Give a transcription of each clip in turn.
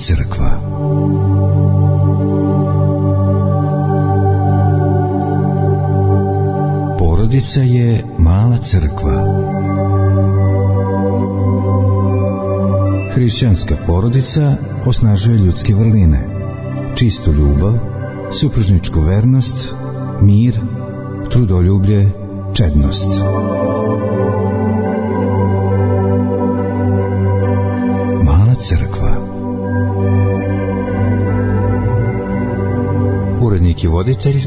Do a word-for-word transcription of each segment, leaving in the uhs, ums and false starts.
crkva. Porodica je mala crkva. Hrišćanska porodica osnažuje ljudske vrline, čistu ljubav, supružničku vernost, mir, trudoljublje, čednost. Mala crkva. Urednik i voditelj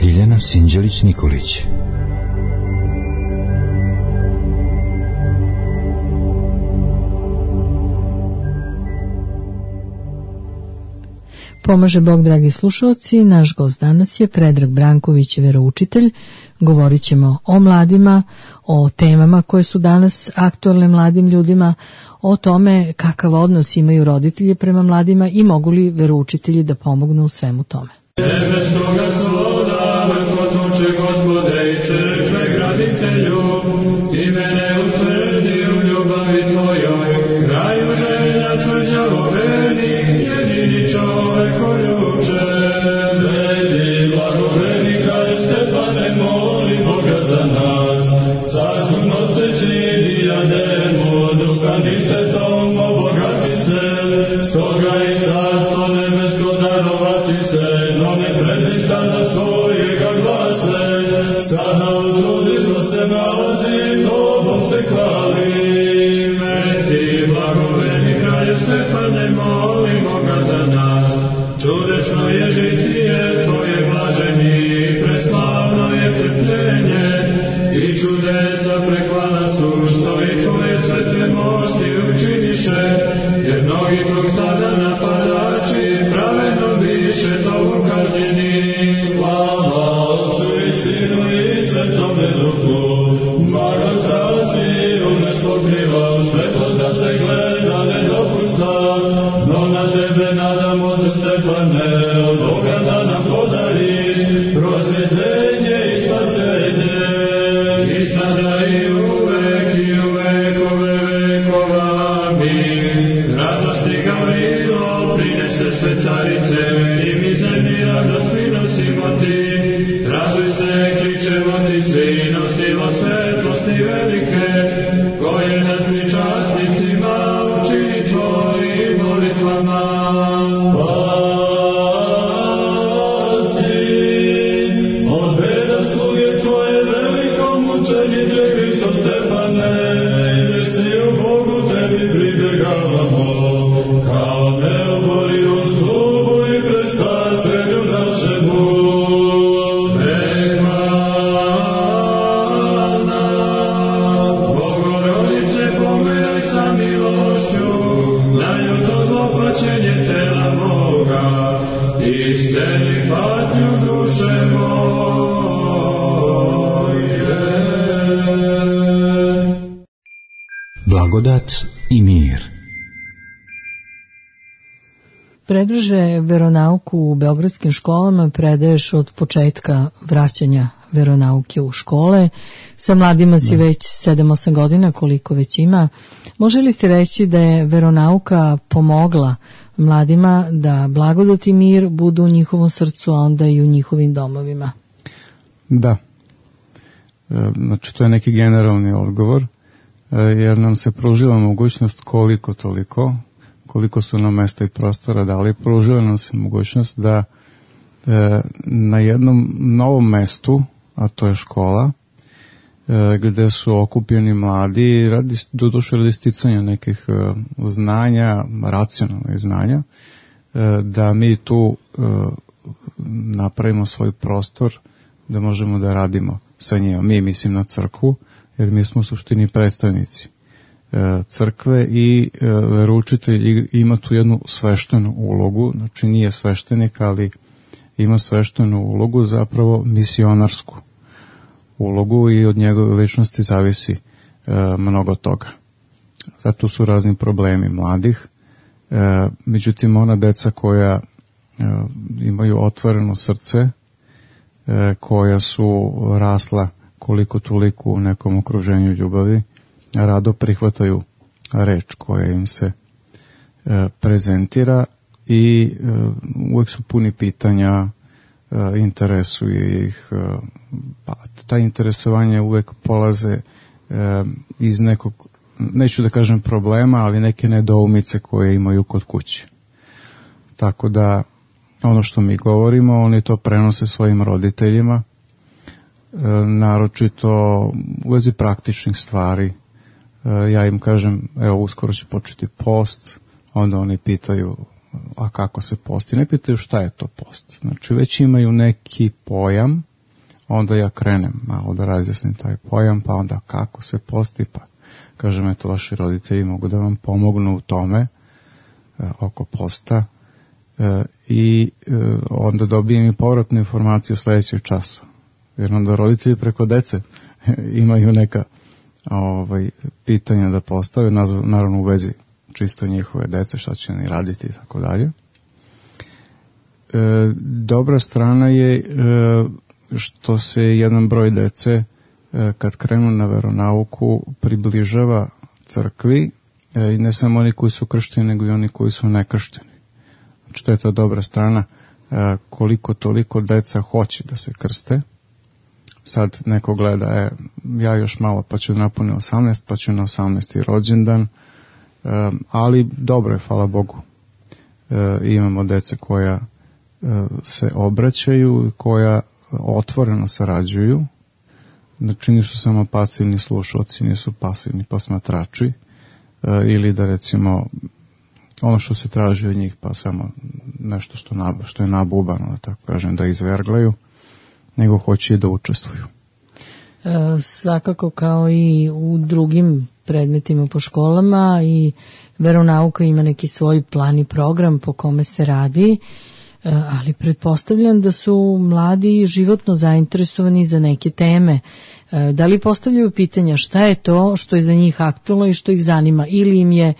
Ljiljana Sinđelić-Nikolić. Pomaže Bog, dragi slušalci, naš gost danas je Predrag Branković, veroučitelj. Govorit ćemo o mladima, o temama koje su danas aktualne mladim ljudima, o tome kakav odnos imaju roditelji prema mladima i mogu li veroučitelji da pomognu u svemu tome. Nebeskoga svoda, vrkotoče Gospode i crkve graditelju, ti mene utvrdi u ljubavi tvojoj, kraju želja tvrđavo vernik, jedini čovek oljuče. Sveti blagoveni kralj Stefane, moli Boga za nas, carskom noseći dijademu, duhom i svetom obogati se, stoga i carstvo nebesko darovati se, no ne prezri stada svojega glase, sada u truzišno se nalazi, tobom se hvali. Sveti blagoveni kralju Stefane, moli Boga za nas, čudečno je žitije tvoje blaženi, preslavno je trpljenje, i čudesa preklana su, što i tvoje svete mošti učiniše, jer mnogi tog stada napadači pravedno biše togu kažnjeni. Slava Otcu i Sinu i Svetome Duhu, blagost razliju naš pokriva, u svetlost da se gleda ne dopušta, no na tebe nadamo se, Stefane, od Boga da nam podariš prosvjetljenje i spasenje, i sada i uvek i u vekove vekova. Amin. Radosti Gavrilo prinese sve carice, i mi zemlji radost prinosimo ti. Raduj se, kličemo ti svi, nosimo svetlosti velike, koje nas pričasnicima učini tvojim molitvama. Blagodat i mir. Predraže, veronauku u beogradskim školama predaješ od početka vraćanja veronauke u škole. Sa mladima si već sedam osam godina, koliko već ima. Može li se reći da je veronauka pomogla mladima da blagodat i mir budu u njihovom srcu, a onda i u njihovim domovima? Da. Znači, to je neki generalni odgovor, jer nam se pružila mogućnost koliko toliko, koliko su nam mesta i prostora dali, pružila nam se mogućnost da e, na jednom novom mestu, a to je škola, e, gde su okupljeni mladi, radi, doduše radi sticanja nekih e, znanja, racionalnih znanja, e, da mi tu e, napravimo svoj prostor, da možemo da radimo sa njima. Mi mislim na crkvu, jer mi smo u suštini predstavnici crkve i veroučitelj ima tu jednu sveštenu ulogu, znači nije sveštenik, ali ima sveštenu ulogu, zapravo misionarsku ulogu, i od njegove ličnosti zavisi mnogo toga. Zato su razni problemi mladih, međutim ona deca koja imaju otvoreno srce, koja su rasla koliko toliko u nekom okruženju ljubavi, rado prihvataju reč koja im se e, prezentira i uvek su puni pitanja, interesuje ih, pa ta interesovanje uvek polaze iz nekog, neću da kažem problema, ali neke nedoumice koje imaju kod kuće. Tako da ono što mi govorimo, oni to prenose svojim roditeljima, naročito u vezi praktičnih stvari. Ja im kažem, evo uskoro će početi post, onda oni pitaju, a kako se posti? Ne pitaju šta je to post. Znači već imaju neki pojam, onda ja krenem malo da razjasnim taj pojam, pa onda kako se posti, pa kažem, eto, vaši roditelji mogu da vam pomognu u tome, e, oko posta, e, i e, onda dobijem i povratnu informaciju sledećeg časa. Jer onda roditelji preko dece imaju neka ovaj, pitanja da postave, naravno u vezi čisto njihove dece, šta će oni raditi i tako dalje. Dobra strana je e, što se jedan broj dece e, kad krenu na veronauku približava crkvi, e, i ne samo oni koji su kršteni, nego i oni koji su nekršteni. Znači to je to dobra strana, e, koliko toliko deca hoće da se krste. Sad neko gleda, e, ja još malo pa ću napuniti osamnaest, pa ću na osamnaesti rođendan, e, ali dobro je, hvala Bogu. E, imamo dece koja e, se obraćaju, koja otvoreno sarađuju, znači nisu samo pasivni slušalci, nisu pasivni posmatrači, e, ili da recimo ono što se traži od njih pa samo nešto što, nab, što je nabubano, da tako kažem, da izverglaju, nego hoće i da učestvuju. E, svakako kao i u drugim predmetima po školama, i veronauka ima neki svoj plan i program po kome se radi, e, ali pretpostavljam da su mladi životno zainteresovani za neke teme. E, da li postavljaju pitanja šta je to što je za njih aktualno i što ih zanima, ili im je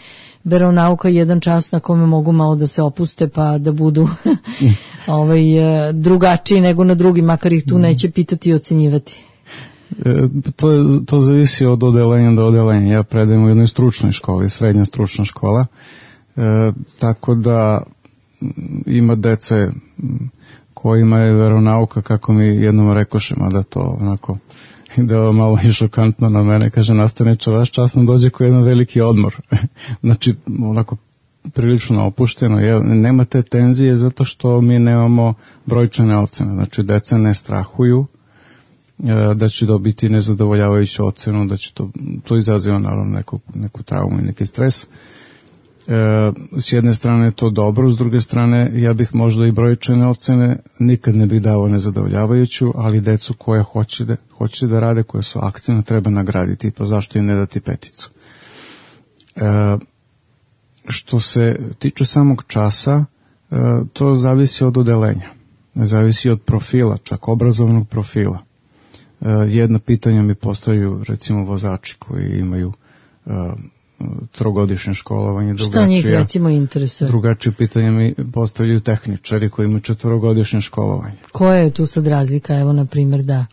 veronauka jedan čas na kome mogu malo da se opuste pa da budu ovaj, drugačiji nego na drugi, makar ih tu neće pitati i ocenjivati? E, to, je, to zavisi od odelenja do odelenja. Ja predajem u jednoj stručnoj školi, srednja stručna škola, e, tako da ima dece kojima je veronauka, kako mi jednom rekošemo, da to onako da je malo i šokantno na mene, kaže nastavniče, vaš čas nam dođe kao jedan veliki odmor. Znači, onako prilično opušteno, je, nema te tenzije zato što mi nemamo brojčane ocene, znači deca ne strahuju e, da će dobiti nezadovoljavajuću ocenu, da će to, to izaziva naravno neku, neku traumu i neki stres. E, s jedne strane je to dobro, s druge strane ja bih možda i brojčane ocene nikad ne bih dao nezadovoljavajuću, ali decu koja hoće da, hoće da rade, koje su aktivne, treba nagraditi, pa zašto im ne dati peticu. E, što se tiče samog časa, e, to zavisi od odelenja, zavisi od profila, čak obrazovnog profila. E, jedna pitanja mi postavljaju recimo vozači koji imaju e, trogodišnje školovanje, šta njih recimo interesuje? Drugačije pitanje mi postavljaju tehničari koji imaju četvorogodišnje školovanje. Koja je tu sad razlika, evo na primjer, da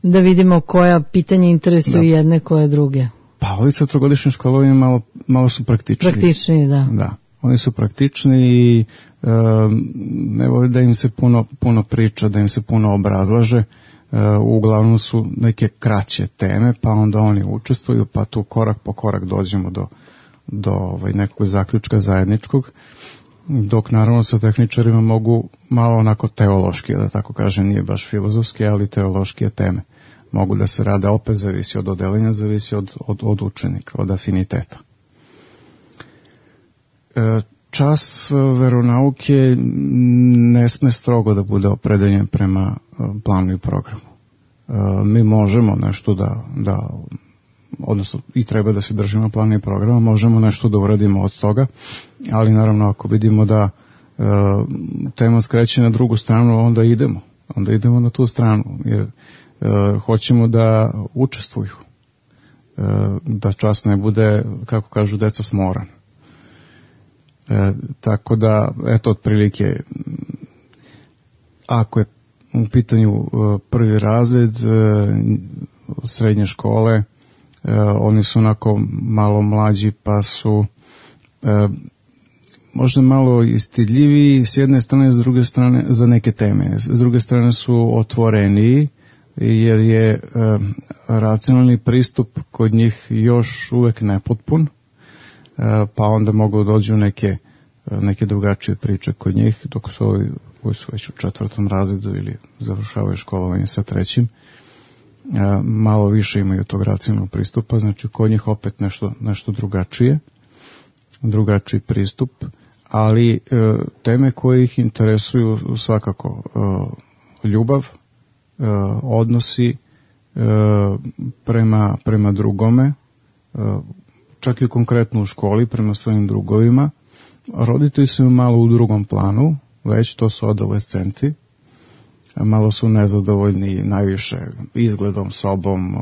da vidimo koja pitanja interesuju da. Jedne, koje druge? Pa ovi sa trogodišnjim školovanjem malo, malo su praktični. Praktični, da. Da, oni su praktični i e, ne voli da im se puno, puno priča, da im se puno obrazlaže. Uh, uglavnom su neke kraće teme, pa onda oni učestvuju, pa tu korak po korak dođemo do, do ovaj, nekog zaključka zajedničkog, dok naravno sa tehničarima mogu malo onako teološki, da tako kažem, nije baš filozofski, ali teološke teme mogu da se rade, opet zavisi od odelenja, zavisi od, od, od učenika, od afiniteta. Uh, Čas veronauke ne sme strogo da bude opredeljen prema planu i programu. Mi možemo nešto da, da odnosno i treba da se držimo plana i programa, možemo nešto da uradimo od toga, ali naravno ako vidimo da e, tema skreće na drugu stranu, onda idemo. Onda idemo na tu stranu, jer e, hoćemo da učestvuju. E, da čas ne bude, kako kažu deca, smoran. E, tako da, eto, otprilike, ako je u pitanju e, prvi razred e, srednje škole, e, oni su onako malo mlađi, pa su e, možda malo istidljiviji s jedne strane, s druge strane za neke teme. S druge strane su otvoreniji, jer je e, racionalni pristup kod njih još uvek nepotpun, e, pa onda mogu dođu neke, neke drugačije priče kod njih, dok su ovi koji su već u četvrtom razredu ili završavaju školovanje sa trećim, e, malo više imaju tog racionalnog pristupa, znači kod njih opet nešto, nešto drugačije, drugačiji pristup, ali e, teme koje ih interesuju svakako e, ljubav, e, odnosi e, prema, prema drugome, e, čak i konkretno u školi, prema svojim drugovima. Roditelji su malo u drugom planu, već to su adolescenti, malo su nezadovoljni najviše izgledom, sobom,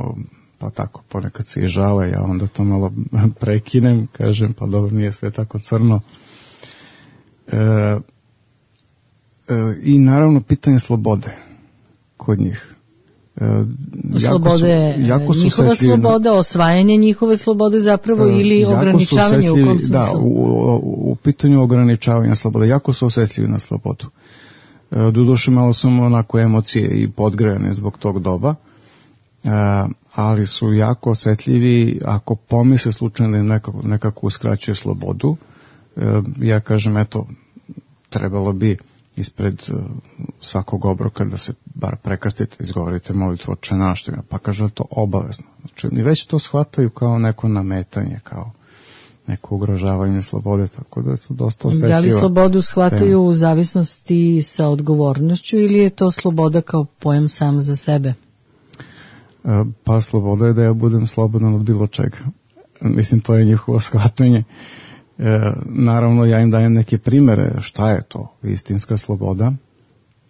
pa tako ponekad se i žale, ja onda to malo prekinem, kažem pa dobro, nije sve tako crno. E, e, I naravno pitanje slobode kod njih. E, slobode, jako su, jako su njihova sloboda, na, osvajanje njihove slobode zapravo e, ili ograničavanje u kom smislu? Da, u, u, u pitanju ograničavanja slobode, jako su osjetljivi na slobodu. E, doduše malo su onako emocije i podgrejane zbog tog doba, e, ali su jako osjetljivi ako pomisle slučajno im nekako, nekako uskraćuje slobodu. E, ja kažem, eto, trebalo bi ispred uh, svakog obroka da se bar prekrstite, izgovorite molitvu Oče naš, pa kaže to obavezno. Znači, oni već to shvataju kao neko nametanje, kao neko ugrožavanje slobode, tako da je to dosta osjetljiva. Da li slobodu shvataju tema u zavisnosti sa odgovornošću ili je to sloboda kao pojam sam za sebe? Uh, pa sloboda je da ja budem slobodan od bilo čega. Mislim, to je njihovo shvatanje. E, naravno ja im dajem neke primere šta je to istinska sloboda.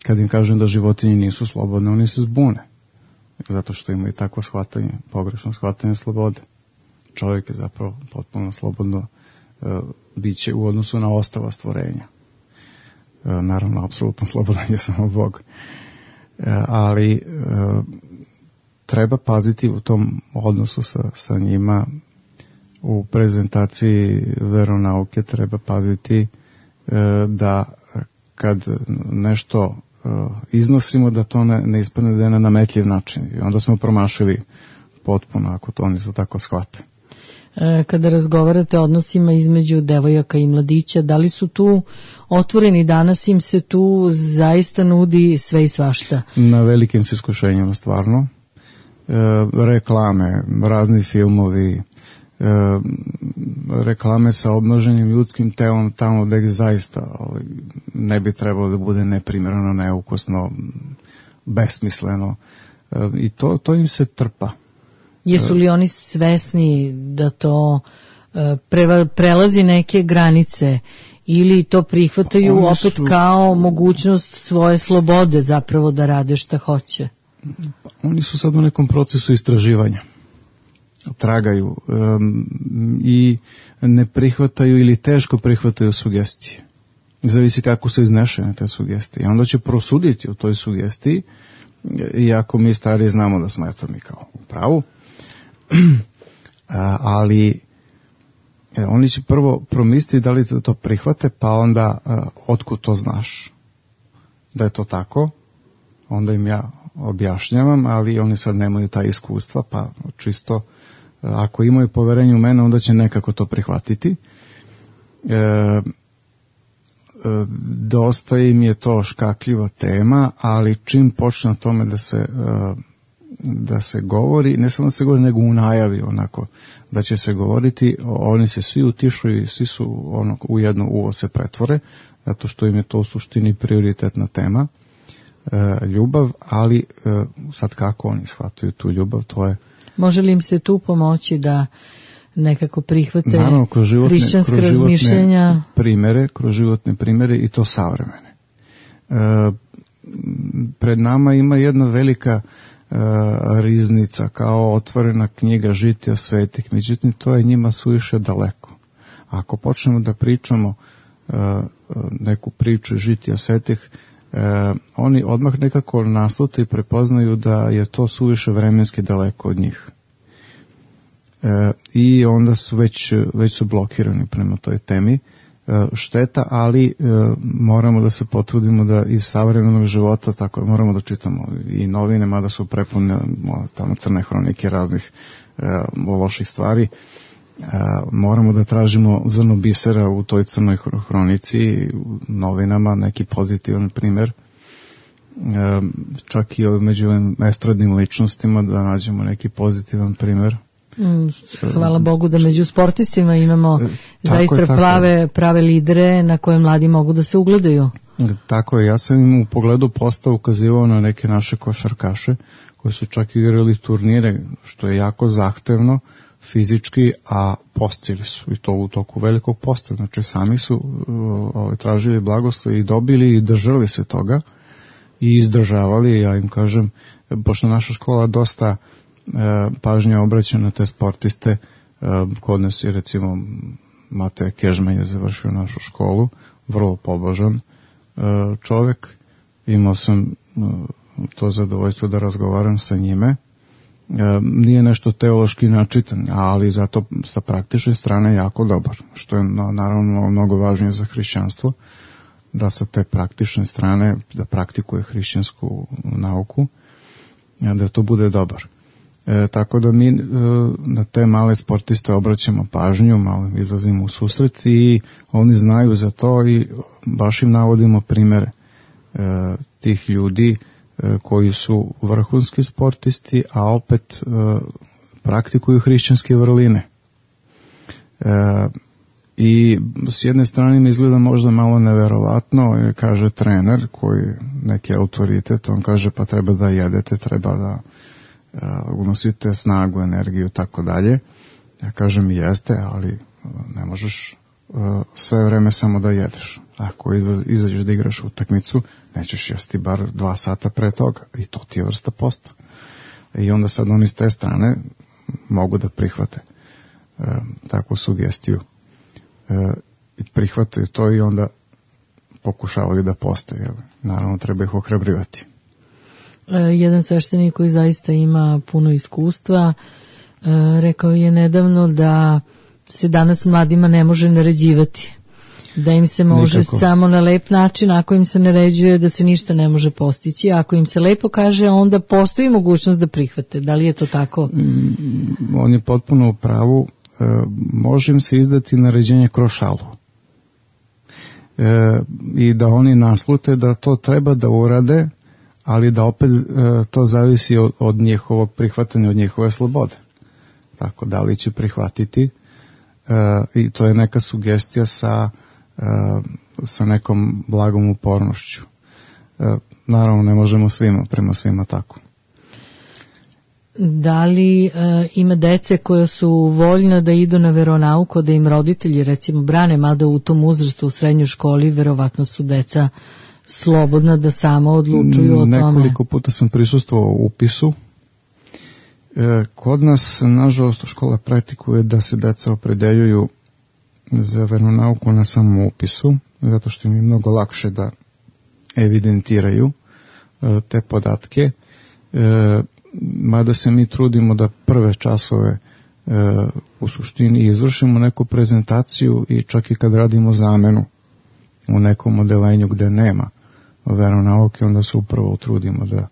Kad im kažem da životinje nisu slobodne, oni se zbune zato što imaju takvo shvatanje, pogrešno shvatanje slobode. Čovjek je zapravo potpuno slobodno e, biće u odnosu na ostala stvorenja. E, naravno apsolutno slobodan je samo Bog, e, ali e, treba paziti u tom odnosu sa, sa njima. U prezentaciji veronauke treba paziti e, da kad nešto e, iznosimo da to ne, ne ispadne da je na nametljiv način. I onda smo promašili potpuno ako to oni su tako shvate. E, kada razgovarate o odnosima između devojaka i mladića, da li su tu otvoreni danas, im se tu zaista nudi sve i svašta? Na velikim se iskušenjima stvarno. E, reklame, razni filmovi, E, reklame sa obnoženim ljudskim telom tamo gdje zaista ne bi trebalo da bude neprimjereno, neukusno, besmisleno, e, i to, to im se trpa. Jesu li oni svesni da to e, pre, prelazi neke granice ili to prihvataju oni opet su, kao mogućnost svoje slobode zapravo da rade šta hoće? Oni su sad u nekom procesu istraživanja, tragaju um, i ne prihvataju ili teško prihvataju sugestije. Zavisi kako su iznešene te sugestije. I onda će prosuditi u toj sugestiji, iako mi stariji znamo da smo eto mi kao u pravu, ali e, oni će prvo promisliti da li to prihvate, pa onda uh, otkud to znaš da je to tako, onda im ja objašnjavam, ali oni sad nemaju ta iskustva, pa čisto ako imaju poverenje u mene, onda će nekako to prihvatiti. E, e, dosta im je to škakljiva tema, ali čim počne o tome da se, e, da se govori, ne samo da se govori, nego u najavi onako, da će se govoriti, oni se svi utišuju i svi su ono, u jedno uvo se pretvore, zato što im je to u suštini prioritetna tema, e, ljubav, ali e, sad kako oni shvataju tu ljubav, to je. Može li im se tu pomoći da nekako prihvate naravno, kroz životne, hrišćanske kroz razmišljenja? Primere, kroz životne primere i to savremene. E, pred nama ima jedna velika e, riznica kao otvorena knjiga žitija svetih, međutim to je njima suviše daleko. Ako počnemo da pričamo e, neku priču žitija svetih, E, oni odmah nekako naslute i prepoznaju da je to suviše vremenski daleko od njih. E, I onda su već, već su blokirani prema toj temi, šteta, ali moramo da se potrudimo da iz savremenog života tako moramo da čitamo i novine, mada su prepune tamo crne hronike raznih loših stvari. Moramo da tražimo zrno bisera u toj crnoj hronici, u novinama, neki pozitivan primer, čak i među estradnim ličnostima da nađemo neki pozitivan primer. Hvala Bogu da među sportistima imamo tako zaista je, prave, prave lidere na koje mladi mogu da se ugledaju. Tako je, ja sam im u pogledu posta ukazivao na neke naše košarkaše koji su čak igrali turnire, što je jako zahtevno fizički, a postili su i to u toku velikog posta, znači sami su uh, tražili blagoslov i dobili i držali se toga i izdržavali. Ja im kažem, pošto naša škola dosta uh, pažnja obraća na te sportiste, uh, kod nas je recimo Mateja Kežman je završio našu školu, vrlo pobožan uh, čovek, imao sam uh, to zadovoljstvo da razgovaram sa njime. Nije nešto teološki načitan, ali zato sa praktične strane jako dobar, što je naravno mnogo važnije za hrišćanstvo, da sa te praktične strane da praktikuje hrišćansku nauku, da to bude dobar. E, tako da mi e, na te male sportiste obraćamo pažnju, malo izlazimo u susret i oni znaju za to i baš im navodimo primere e, tih ljudi koji su vrhunski sportisti, a opet e, praktikuju hrišćanske vrline. E, I s jedne strane mi izgleda možda malo neverovatno, jer kaže trener koji neki autoritet, on kaže pa treba da jedete, treba da e, unosite snagu, energiju, tako dalje. Ja kažem jeste, ali ne možeš sve vreme samo da jedeš. Ako izađeš da igraš utakmicu, nećeš jesti bar dva sata pre toga i to ti je vrsta posta. I onda sad oni s te strane mogu da prihvate e, takvu sugestiju. E, i prihvataju to i onda pokušavaju da poste. Jel? Naravno treba ih ohrabrivati. E, jedan sveštenik koji zaista ima puno iskustva e, rekao je nedavno da se danas mladima ne može naređivati, da im se može Nikako. samo na lep način, ako im se naređuje da se ništa ne može postići, ako im se lepo kaže, onda postoji mogućnost da prihvate. Da li je to tako? Mm, on je potpuno u pravu. E, može im se izdati naređenje kroz šalu. E, I da oni naslute da to treba da urade, ali da opet e, to zavisi od, od njihovog prihvatanja, od njihove slobode. Tako, da li će prihvatiti. E, i to je neka sugestija sa, e, sa nekom blagom upornošću. E, naravno ne možemo svima, prema svima tako. Da li e, ima dece koja su voljna da idu na veronauku, da im roditelji recimo brane, mada u tom uzrastu u srednjoj školi verovatno su deca slobodna da samo odlučuju o Nekoliko tome? Nekoliko puta sam prisustvovao u upisu. Kod nas, nažalost, škola praktikuje da se deca opredeljuju za veronauku na samom upisu, zato što im je mnogo lakše da evidentiraju te podatke, mada se mi trudimo da prve časove u suštini izvršimo neku prezentaciju i čak i kad radimo zamenu u nekom odelenju gde nema veronauke, onda se upravo trudimo da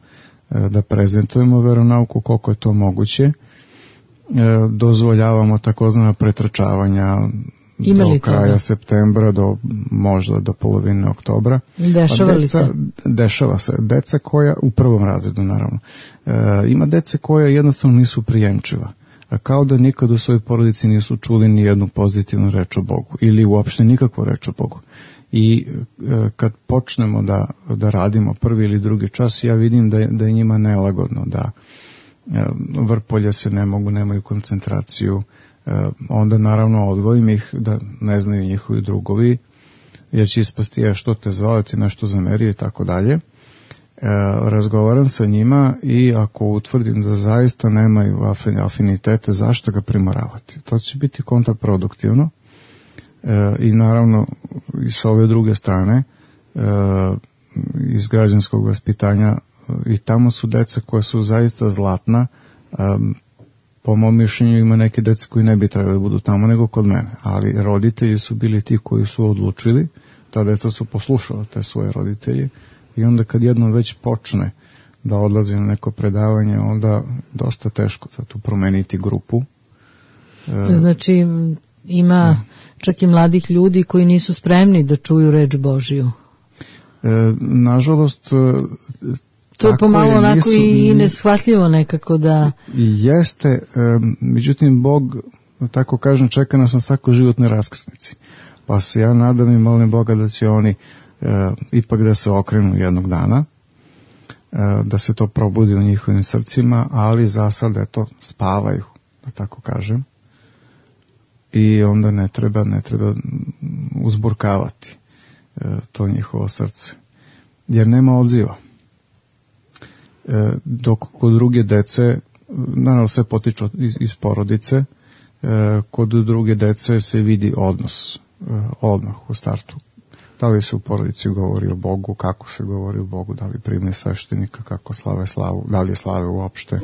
da prezentujemo veronauku koliko je to moguće. E, dozvoljavamo takozvana pretrčavanja do kraja toga? septembra do možda do polovine oktobra. Dešava li se? Dešava se. Deca koja, u prvom razredu naravno, e, ima dece koja jednostavno nisu prijemčiva. Kao da nikad u svojoj porodici nisu čuli ni jednu pozitivnu reč o Bogu ili uopšte nikakvu reč o Bogu. I e, kad počnemo da, da radimo prvi ili drugi čas, ja vidim da je, da je njima nelagodno, da e, vrpolje se ne mogu, nemaju koncentraciju, e, onda naravno odvojim ih da ne znaju njihovi drugovi, jer će ispasti je što te zvao, ti nešto zamerio i tako dalje. E, razgovaram sa njima i ako utvrdim da zaista nemaju afinitete, zašto ga primoravati? To će biti kontraproduktivno. E, i naravno i s ove druge strane e, iz građanskog vaspitanja i tamo su deca koja su zaista zlatna, e, po mom mišljenju ima neke dece koji ne bi trebali budu tamo nego kod mene, ali roditelji su bili ti koji su odlučili, ta deca su poslušala te svoje roditelje i onda kad jednom već počne da odlazi na neko predavanje, onda dosta teško za tu promeniti grupu. Znači ima čak i mladih ljudi koji nisu spremni da čuju reč Božiju. E, nažalost, to je pomalo je, onako nisu, i neshvatljivo nekako da... Jeste, e, međutim, Bog, tako kažem, čeka nas na svakoj životnoj raskrsnici. Pa se ja nadam i molim Boga da će oni e, ipak da se okrenu jednog dana, e, da se to probudi u njihovim srcima, ali za sad, eto, spavaju, da tako kažem. I onda ne treba, ne treba uzburkavati e, to njihovo srce. Jer nema odziva. E, dok kod druge dece, naravno sve potiče iz, iz porodice, e, kod druge dece se vidi odnos, e, odmah u startu. Da li se u porodici govori o Bogu, kako se govori o Bogu, da li prime sveštenika, kako slave slavu, da li je slave uopšte.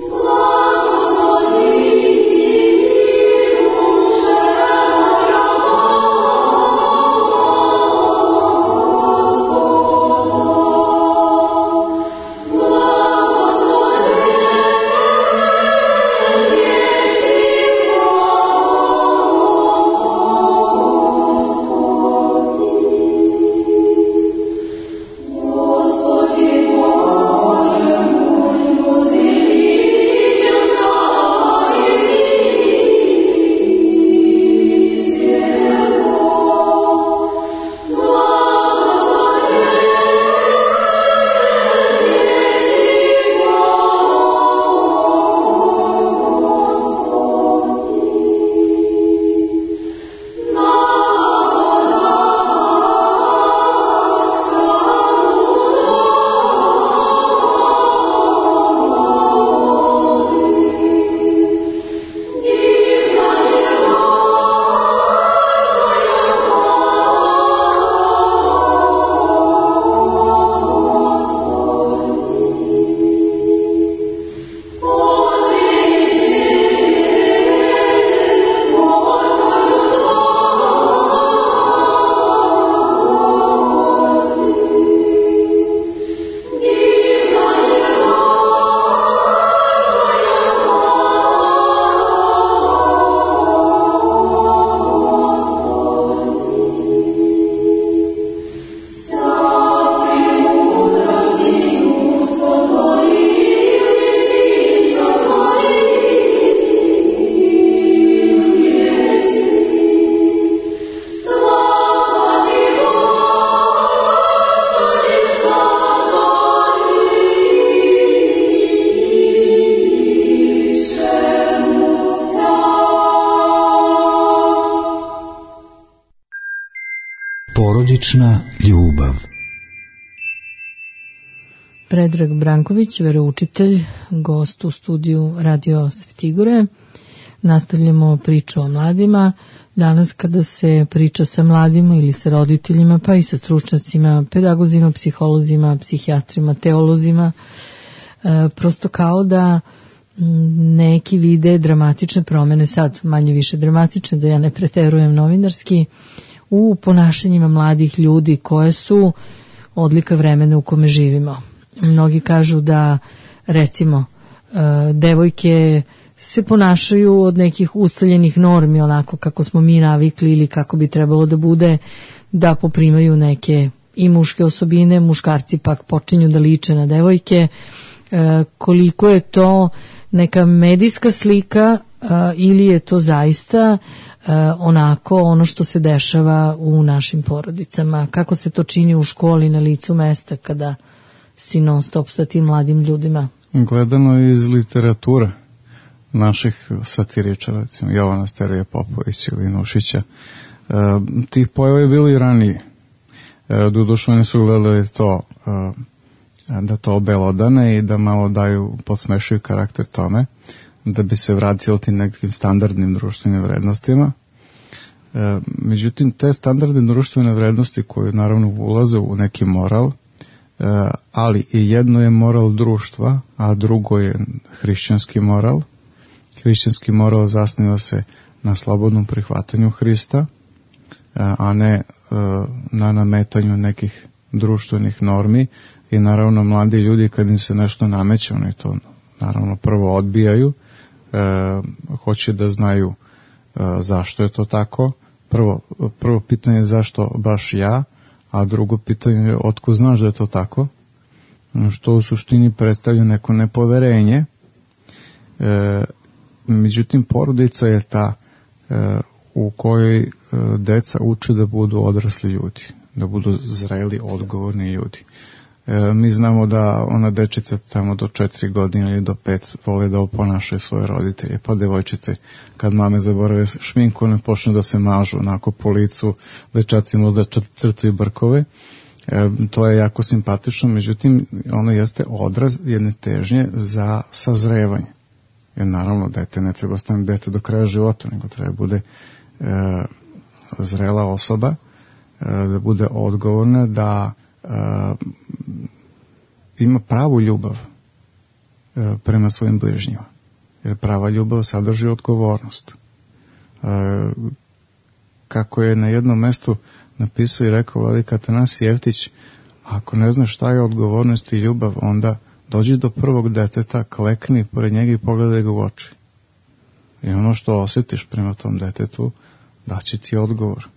Porodična ljubav. Predrag Branković, veroučitelj, gost u studiju Radio Svetigore. Nastavljamo priču o mladima. Danas kada se priča sa mladima ili sa roditeljima, pa i sa stručnjacima, pedagozima, psiholozima, psihijatrima, teolozima, e, prosto kao da neki vide dramatične promene, sad manje više dramatične, da ja ne preterujem novinarski, u ponašanjima mladih ljudi koje su odlika vremena u kome živimo. Mnogi kažu da, recimo, devojke se ponašaju od nekih ustaljenih normi, onako kako smo mi navikli ili kako bi trebalo da bude, da poprimaju neke i muške osobine, muškarci pak počinju da liče na devojke. Koliko je to neka medijska slika ili je to zaista onako ono što se dešava u našim porodicama, kako se to čini u školi na licu mesta kada si non stop sa tim mladim ljudima? Gledano iz literature naših satiričara, recimo Jovana Sterija Popović ili Nušića, e, tih pojava je bilo i ranije. E, Doduše oni su gledali to, e, da to obelodane i da malo daju, podsmešuju karakter tome, da bi se vratilo tim nekim standardnim društvenim vrednostima. E, međutim, te standardne društvene vrednosti koje naravno ulaze u neki moral, e, ali i jedno je moral društva, a drugo je hrišćanski moral, hrišćanski moral zasniva se na slobodnom prihvatanju Hrista, a ne na nametanju nekih društvenih normi. I naravno mladi ljudi kad im se nešto nameće, oni to naravno prvo odbijaju, e, hoće da znaju e, zašto je to tako. Prvo, prvo pitanje je zašto baš ja, a drugo pitanje je otko znaš da je to tako, što u suštini predstavlja neko nepoverenje. E, međutim, porodica je ta e, u kojoj e, deca uče da budu odrasli ljudi, da budu zreli, odgovorni ljudi. E, mi znamo da ona dečica tamo do četiri godine ili do pet vole da oponašaju svoje roditelje, pa devojčice kad mame zaborave šminku ne počnu da se mažu onako po licu, dečaci možda crtaju brkove. E, to je jako simpatično, međutim ono jeste odraz jedne težnje za sazrevanje. Jer naravno dete ne treba ostane dete do kraja života, nego treba bude e, zrela osoba, e, da bude odgovorna, da e, ima pravu ljubav e, prema svojim bližnjima. Jer prava ljubav sadrži odgovornost. E, kako je na jednom mestu napisao i rekao vladika Atanasije Jeftić, ako ne znaš šta je odgovornost i ljubav, onda dođi do prvog deteta, klekni pored njega i pogledaj ga u oči. I ono što osjetiš prema tom detetu, daće ti odgovor.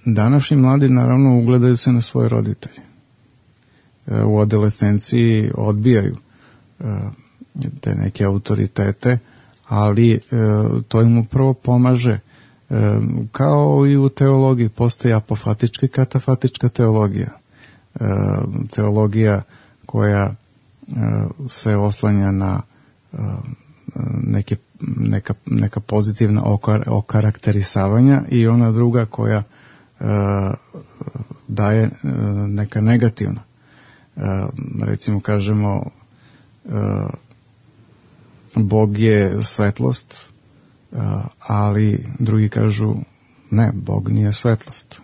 Današnji mladi naravno ugledaju se na svoje roditelje. U adolescenciji odbijaju te neke autoritete, ali to im upravo pomaže. Kao i u teologiji postoji apofatička i katafatička teologija. Teologija koja se oslanja na neke, neka, neka pozitivna okar, okarakterisavanja i ona druga koja daje neka negativna. Recimo kažemo Bog je svetlost, ali drugi kažu ne, Bog nije svetlost,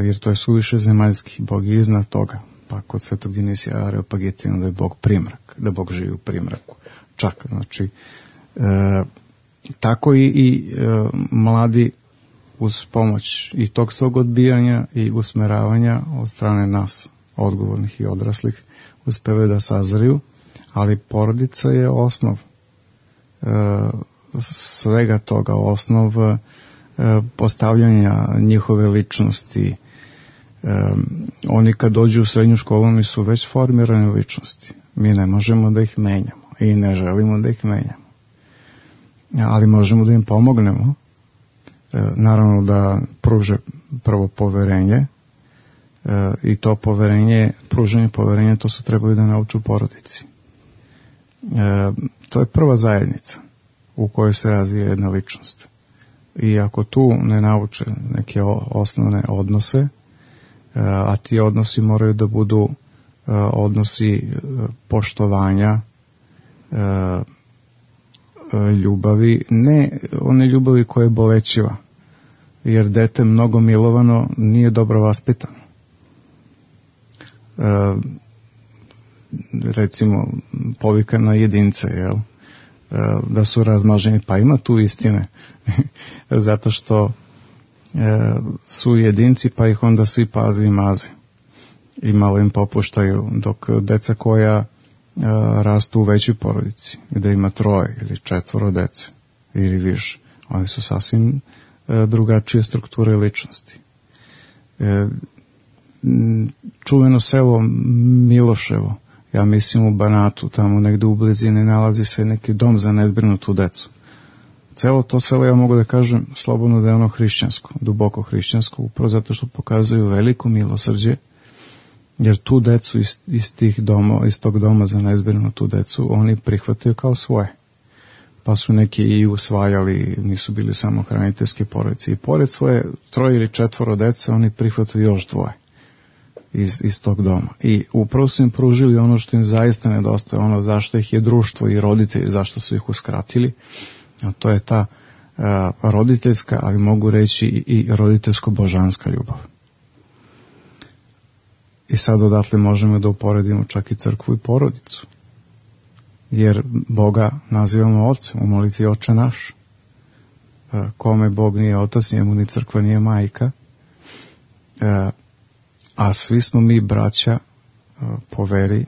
jer to je suviše zemaljski, Bog je iznad toga. Pa kod Svetog Dinisija Areopagitina da je Bog primrak, da Bog živi u primraku. Čak, znači, e, tako i, i e, mladi uz pomoć i tog svog odbijanja i usmeravanja od strane nas, odgovornih i odraslih, uspevaju da sazriju, ali porodica je osnov e, svega toga, osnov e, postavljanja njihove ličnosti. Um, oni kad dođu u srednju školu oni su već formirane ličnosti. Mi ne možemo da ih menjamo i ne želimo da ih menjamo. Ali možemo da im pomognemo. E, naravno da pruže prvo poverenje e, i to poverenje, pruženje poverenja, to su trebali da nauču porodici. E, to je prva zajednica u kojoj se razvija jedna ličnost. I ako tu ne nauče neke osnovne odnose, a ti odnosi moraju da budu odnosi poštovanja, ljubavi, ne one ljubavi koja je bolećiva, jer dete mnogo milovano nije dobro vaspitano. Recimo povika na jedince, jel? Da su razmaženi, pa ima tu istine, zato što su jedinci, pa ih onda svi paze i maze i malo im popuštaju, dok deca koja rastu u većoj porodici, gde ima troje ili četvoro dece ili više, oni su sasvim drugačije strukture i ličnosti. Čuveno selo Miloševo, ja mislim u Banatu, tamo negde u blizini nalazi se neki dom za nezbrinutu decu. Celo to selo, ja mogu da kažem slobodno da je ono hrišćansko, duboko hrišćansko, upravo zato što pokazuju veliko milosrđe, jer tu decu iz, iz, tih doma, iz tog doma za nezbrinutu decu oni prihvataju kao svoje. Pa su neki i usvajali, nisu bili samo hraniteljske porodice. I pored svoje troje ili četvoro dece oni prihvataju još dvoje iz, iz tog doma. I upravo su im pružili ono što im zaista nedostaje, ono zašto ih je društvo i roditelji, zašto su ih uskratili. A to je ta uh, roditeljska, ali mogu reći i roditeljsko-božanska ljubav. I sad odatle možemo da uporedimo čak i crkvu i porodicu. jer Boga nazivamo Ocem, u molitvi Oče naš. Kome Bog nije otac, njemu ni crkva nije majka, a svi smo mi braća po veri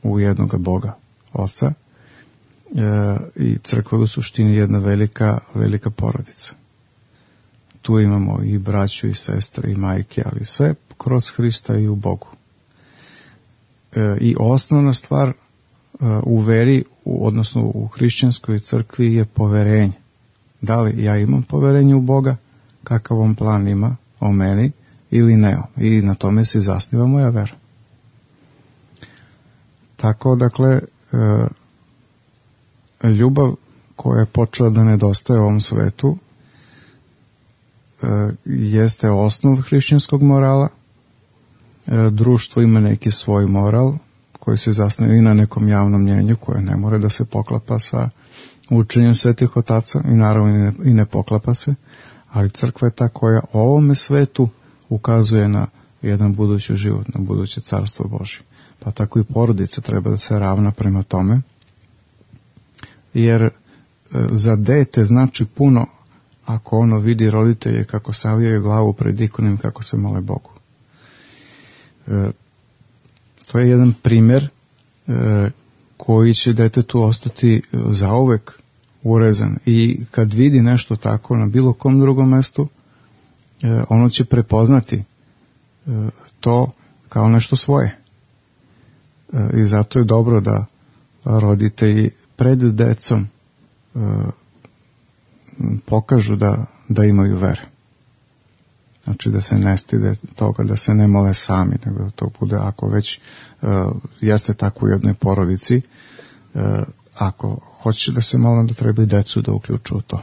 u jednoga Boga, Oca, i crkva u suštini jedna velika, velika porodica. Tu imamo i braću i sestre i majke, ali sve kroz Hrista i u Bogu. I osnovna stvar u veri, odnosno u hrišćanskoj crkvi, je poverenje. Da li ja imam poverenje u Boga, kakav on plan ima o meni ili ne. I na tome se zasniva moja vera. Tako, dakle, ljubav koja je počela da nedostaje u ovom svetu jeste osnov hrišćanskog morala. Društvo ima neki svoj moral koji se zasniva i na nekom javnom mnjenju koje ne more da se poklapa sa učenjem svetih otaca i naravno i ne, i ne poklapa se, ali crkva je ta koja ovome svetu ukazuje na jedan budući život, na buduće carstvo Božje. Pa tako i porodica treba da se ravna prema tome, jer e, za dete znači puno ako ono vidi roditelje kako savijaju glavu pred ikonom, kako se mole Bogu. E, to je jedan primjer e, koji će detetu ostati zauvek urezan, i kad vidi nešto tako na bilo kom drugom mestu, e, ono će prepoznati e, to kao nešto svoje. E, I zato je dobro da roditelji pred decom e, pokažu da, da imaju vere. Znači da se ne stide toga, da se ne mole sami, nego da to bude, ako već uh, jeste tako u jednoj porodici, uh, ako hoće da se mole, da treba i decu da uključu u to.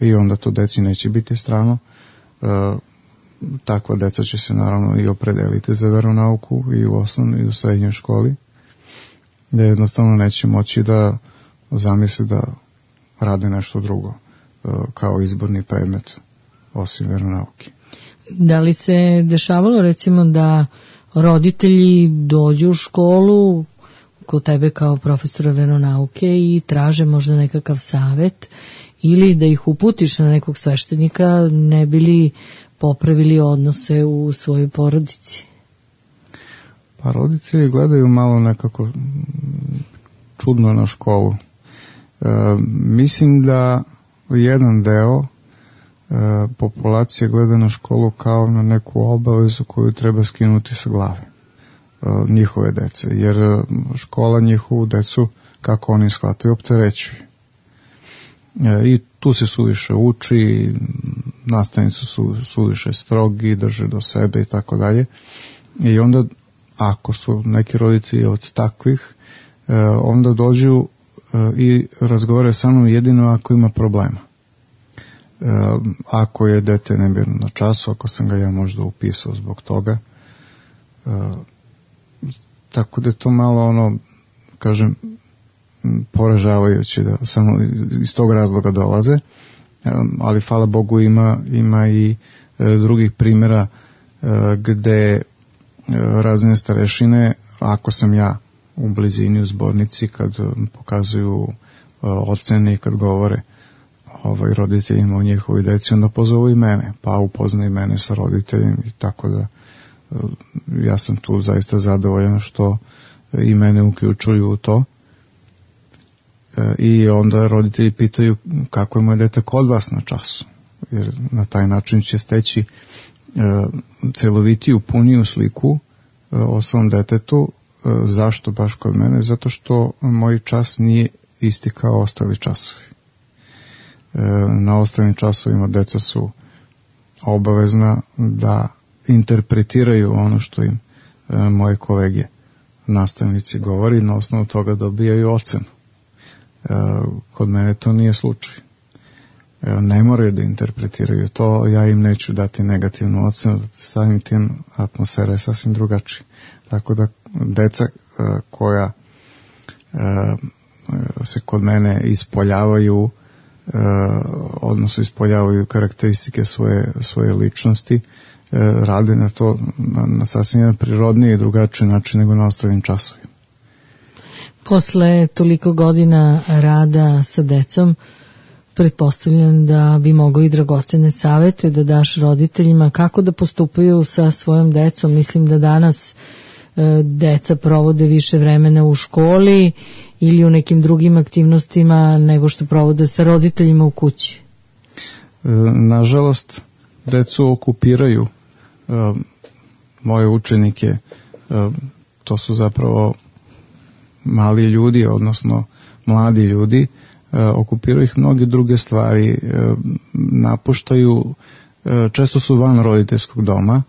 I onda to deci neće biti strano. Uh, takva deca će se naravno i opredeliti za veronauku i u osnovnoj i u srednjoj školi, da jednostavno neće moći da zamisli da rade nešto drugo uh, kao izborni predmet osim veronauke. Da li se dešavalo recimo da roditelji dođu u školu kod tebe kao profesora veronauke i traže možda nekakav savet, ili da ih uputiš na nekog sveštenika, ne bi li popravili odnose u svojoj porodici? Pa roditelji gledaju malo nekako čudno na školu. E, mislim da jedan deo E, populacija gleda na školu kao na neku obavezu koju treba skinuti sa glave e, njihove dece, jer škola njihovu decu, kako oni shvataju, opterećuje. E, I tu se suviše uči, nastavnici su suviše strogi, drže do sebe i tako dalje. I onda, ako su neki roditelji od takvih, e, onda dođu e, i razgovore sa mnom jedino ako ima problema. E, ako je dete nemirno na času, ako sam ga ja možda upisao zbog toga. E, tako da je to malo ono, kažem, poražavajuće da samo iz tog razloga dolaze, e, ali hvala Bogu ima, ima i e, drugih primjera e, gde e, razne starešine, ako sam ja u blizini u zbornici, kad pokazuju e, ocene i kad govore ovaj, roditeljima o njihovoj deci, onda pozovu i mene, pa upoznaju mene sa roditeljem, i tako da ja sam tu zaista zadovoljan što i mene uključuju u to. E, i onda roditelji pitaju kako je moje dete kod vas na času, jer na taj način će steći e, celovitiju, puniju sliku e, o svom detetu. E, zašto baš kod mene? Zato što moj čas nije isti kao ostali časovi. Na ostalim časovima deca su obavezna da interpretiraju ono što im e, moje kolege nastavnici govori, na osnovu toga dobijaju ocenu. E, kod mene to nije slučaj. E, ne moraju da interpretiraju to, ja im neću dati negativnu ocenu, samim tim atmosfera je sasvim drugačija. Tako da deca e, koja e, se kod mene ispoljavaju, E, odnosno ispoljavaju karakteristike svoje, svoje ličnosti, e, rade na to na, na sasvim jedan prirodniji i drugačiji način nego na ostalim časovima. Posle toliko godina rada sa decom, pretpostavljam da bi mogao i dragocene savete da daš roditeljima kako da postupaju sa svojom decom. Mislim da danas e, deca provode više vremena u školi ili u nekim drugim aktivnostima nego što provode sa roditeljima u kući. E, nažalost, decu okupiraju e, moje učenike, e, to su zapravo mali ljudi, odnosno mladi ljudi, e, okupiraju ih mnoge druge stvari, e, napuštaju, e, često su van roditeljskog doma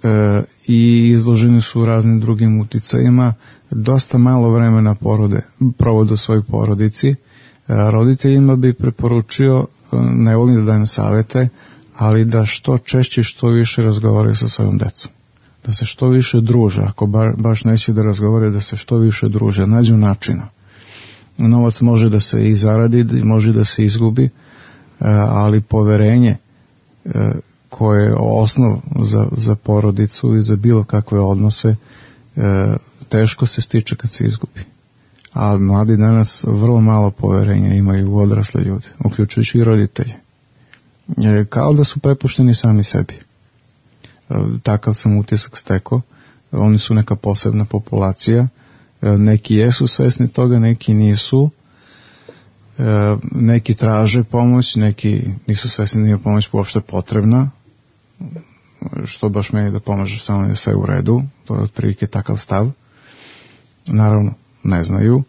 e, i izloženi su raznim drugim uticajima, dosta malo vremena porode, provode u svojoj porodici. E, roditeljima bi preporučio, ne volim da dajem savete, ali da što češće, što više razgovaraju sa svojom decom. Da se što više druže, ako ba, baš neće da razgovore, da se što više druže, nađu načina. Novac može da se i zaradi, može da se izgubi, ali poverenje koje je osnov za, za porodicu i za bilo kakve odnose, teško se stiče kad se izgubi. A mladi danas vrlo malo poverenja imaju u odrasle ljude, uključujući i roditelje. Kao da su prepušteni sami sebi. Takav sam utisak stekao. Oni su neka posebna populacija. Neki jesu svesni toga, neki nisu. Neki traže pomoć, neki nisu svesni da je pomoć uopšte potrebna. Što baš meni da pomaže, samo je sve u redu. To je otprilike takav stav. Naravno, ne znaju.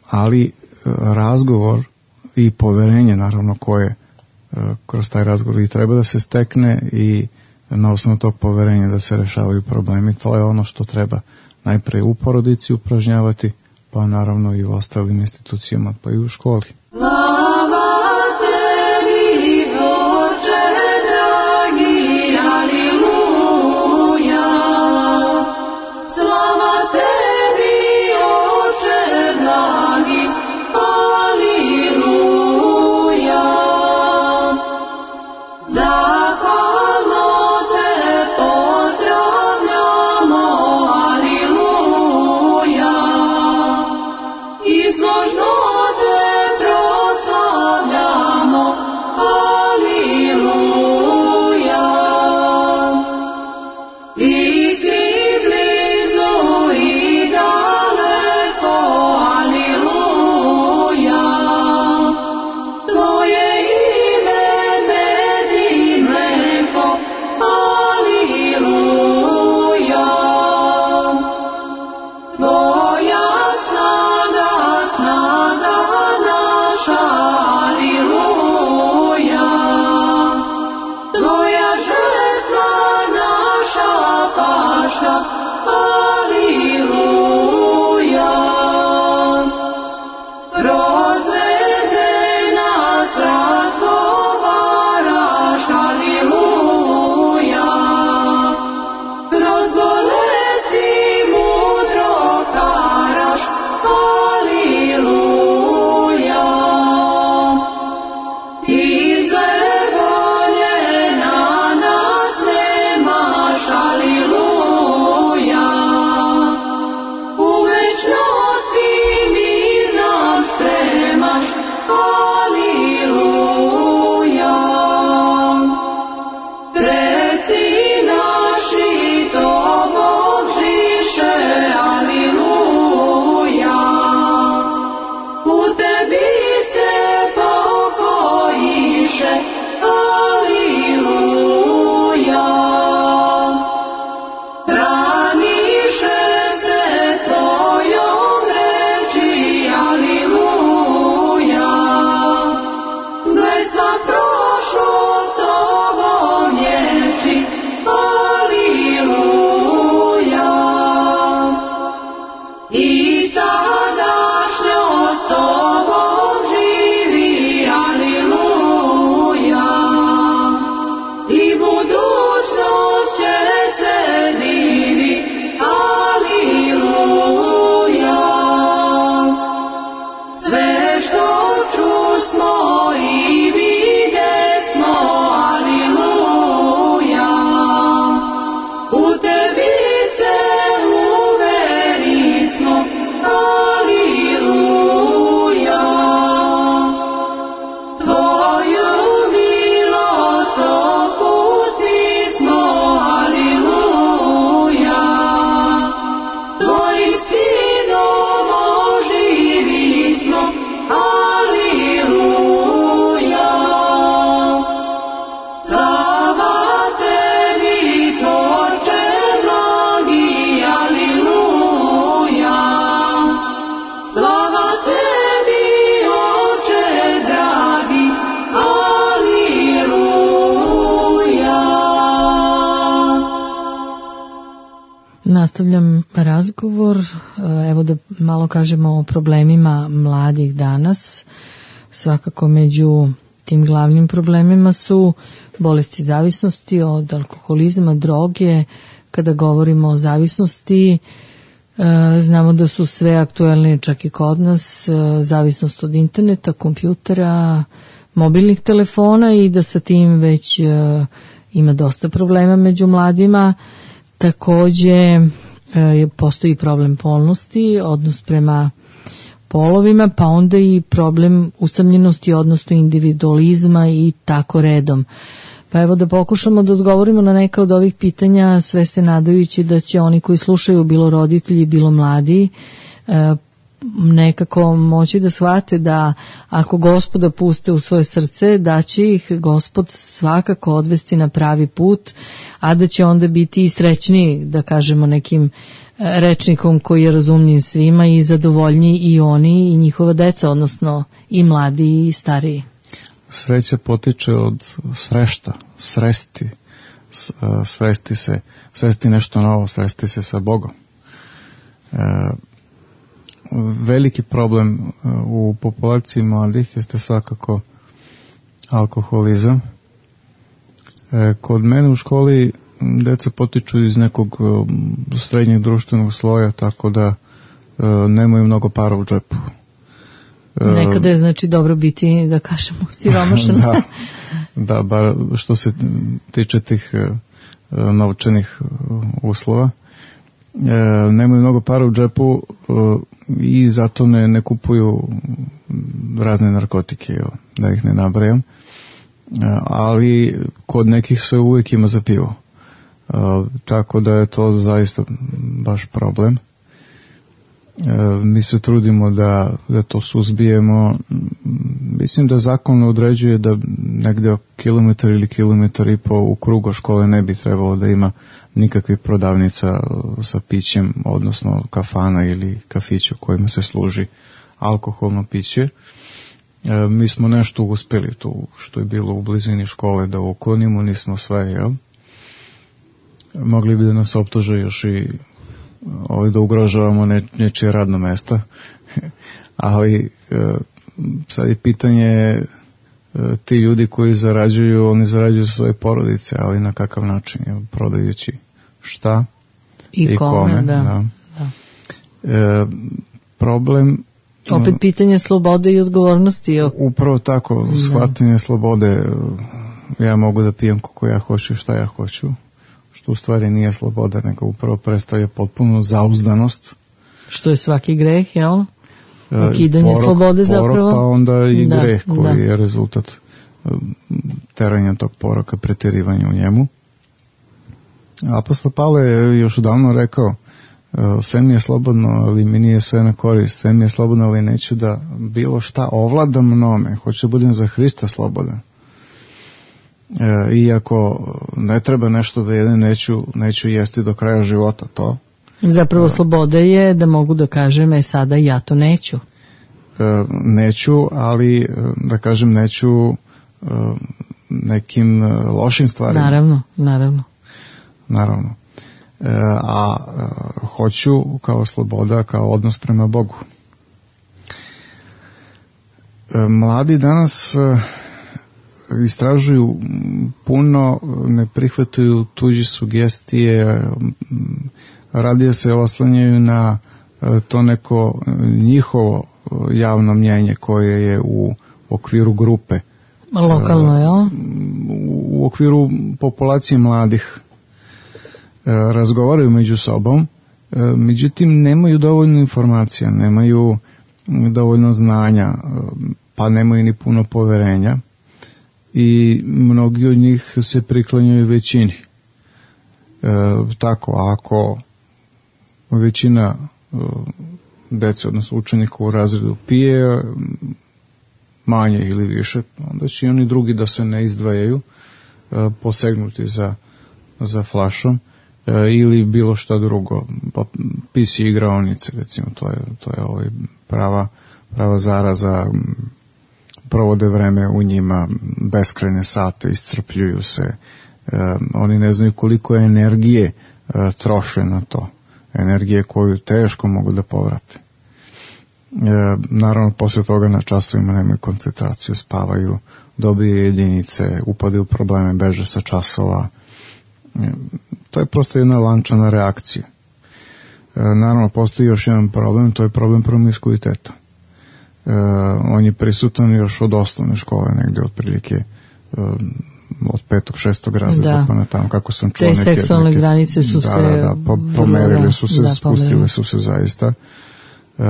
Ali razgovor i poverenje, naravno, koje kroz taj razgovor i treba da se stekne i na osnovu tog poverenja da se rešavaju problemi. To je ono što treba najpre u porodici upražnjavati, pa naravno i u ostalim institucijama, pa i u školi. Izložno te proslavljamo. nastavljam razgovor. Evo da malo kažemo o problemima mladih danas. Svakako među tim glavnim problemima su bolesti zavisnosti od alkoholizma, droge. Kada govorimo o zavisnosti, znamo da su sve aktuelne čak i kod nas, zavisnost od interneta, kompjutera, mobilnih telefona i da sa tim već ima dosta problema među mladima. Takođe postoji problem polnosti, odnos prema polovima, pa onda i problem usamljenosti, odnosno individualizma i tako redom. Pa evo da pokušamo da odgovorimo na neka od ovih pitanja, sve se nadajući da će oni koji slušaju, bilo roditelji, bilo mladi, nekako moći da shvate da ako Gospoda puste u svoje srce, da će ih Gospod svakako odvesti na pravi put, a da će onda biti i srećniji, da kažemo nekim rečnikom koji je razumljiv svima i zadovoljniji i oni i njihova deca, odnosno i mladi i stariji. Sreća potiče od srešta, sresti, sresti se, sresti nešto novo, sresti se sa Bogom. E, veliki problem u populaciji mladih jeste svakako alkoholizam. E, kod mene u školi deca potiču iz nekog srednjeg društvenog sloja, tako da e, nemaju mnogo para u džepu. Nekada je znači dobro biti, da kažemo, siromašan. da, da, bar što se tiče tih uh, novčanih uslova. Uh, nemaju mnogo para u džepu uh, i zato ne, ne kupuju razne narkotike, jo, da ih ne nabrajam. Uh, ali kod nekih se uvijek ima za pivo. Uh, tako da je to zaista baš problem. Mi se trudimo da, da to suzbijemo. Mislim da zakon određuje da negde kilometar ili kilometar i po u krugu škole ne bi trebalo da ima nikakvih prodavnica sa pićem, odnosno kafana ili kafića u kojima se služi alkoholno piće. Mi smo nešto uspeli tu što je bilo u blizini škole da uklonimo, nismo sve, jel? Mogli bi da nas optuže još i ovaj, da ugrožavamo ne, nečije radno mesta, ali e, sad je pitanje e, ti ljudi koji zarađuju, oni zarađuju svoje porodice, ali na kakav način, je, prodajući šta i, i kome, kome da, da. Da. E, problem opet pitanje slobode i odgovornosti. Upravo tako, shvatanje da. slobode, ja mogu da pijem kako ja hoću i šta ja hoću, što u stvari nije sloboda, nego upravo predstavlja potpunu zauzdanost. Što je svaki greh, jel? Ukidanje porok, slobode zapravo. Porok, pa onda i da, greh koji da. je rezultat teranja tog poroka, pretjerivanja u njemu. Apostol Pavle je još davno rekao, sve mi je slobodno, ali mi nije sve na korist, sve mi je slobodno, ali neću da bilo šta ovlada mnome, hoću da budem za Hrista slobodan. E, iako ne treba nešto da jedem, neću, neću jesti do kraja života to. Zapravo sloboda je da mogu da kažem, e sada ja to neću. E, neću, ali da kažem neću e, nekim lošim stvarima. Naravno, naravno. Naravno. E, a e, hoću kao sloboda, kao odnos prema Bogu. E, mladi danas e, istražuju puno, ne prihvataju tuđe sugestije, radije se oslanjaju na to neko njihovo javno mnjenje koje je u okviru grupe. Lokalno, jel? U okviru populacije mladih. Razgovaraju među sobom, međutim nemaju dovoljno informacija, nemaju dovoljno znanja, pa nemaju ni puno poverenja. I mnogi od njih se priklanjaju većini. E, tako, ako većina e, dece, odnosno učenika u razredu pije manje ili više, onda će i oni drugi da se ne izdvajaju, e, posegnuti za, za flašom e, ili bilo šta drugo, pa pisi igraonice, recimo, to je, to je ovaj prava, prava zaraza, provode vreme u njima, beskrajne sate, iscrpljuju se, e, oni ne znaju koliko energije e, troše na to. energije koju teško mogu da povrate. E, naravno, posle toga na časovima nemaju koncentraciju, spavaju, dobiju jedinice, upadaju u probleme, beže sa časova. E, to je prosto jedna lančana reakcija. E, naravno, postoji još jedan problem, to je problem promiskuiteta. E, on je prisutan još od osnovne škole, negde otprilike e, od petog, šestog razreda, da. Pa na tamo, kako sam čuo te neke... Te seksualne neke, granice su da, se... Da, da, po, pomerili su se, da, spustile su se zaista. E,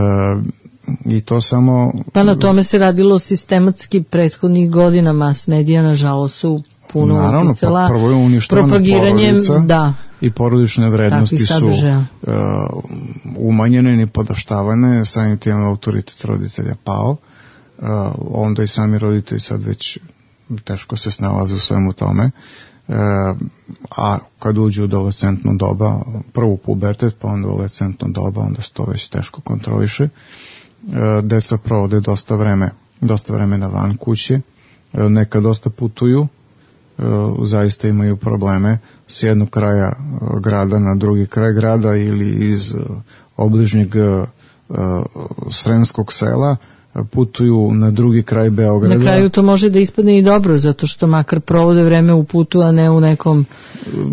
I to samo... Pa na tome se radilo sistematski prethodnih godina, mas medija, nažalost, su puno naravno, uticala prvo je uništavana propagiranjem, da, i porodične vrednosti su uh, umanjene i podaštavane, samim tim autoritet roditelja pao, uh, onda i sami roditelji sad već teško se snalaze u svemu tome, uh, a kad uđu u adolescentno doba, prvo pubertet, pa onda adolescentno doba, onda se to već teško kontroliše. Uh, deca provode dosta vreme, dosta vremena van kuće, uh, neka dosta putuju, zaista imaju probleme s jednog kraja grada na drugi kraj grada ili iz obližnjeg Sremskog sela putuju na drugi kraj Beograda. Na kraju to može da ispadne i dobro, zato što makar provode vreme u putu, a ne u nekom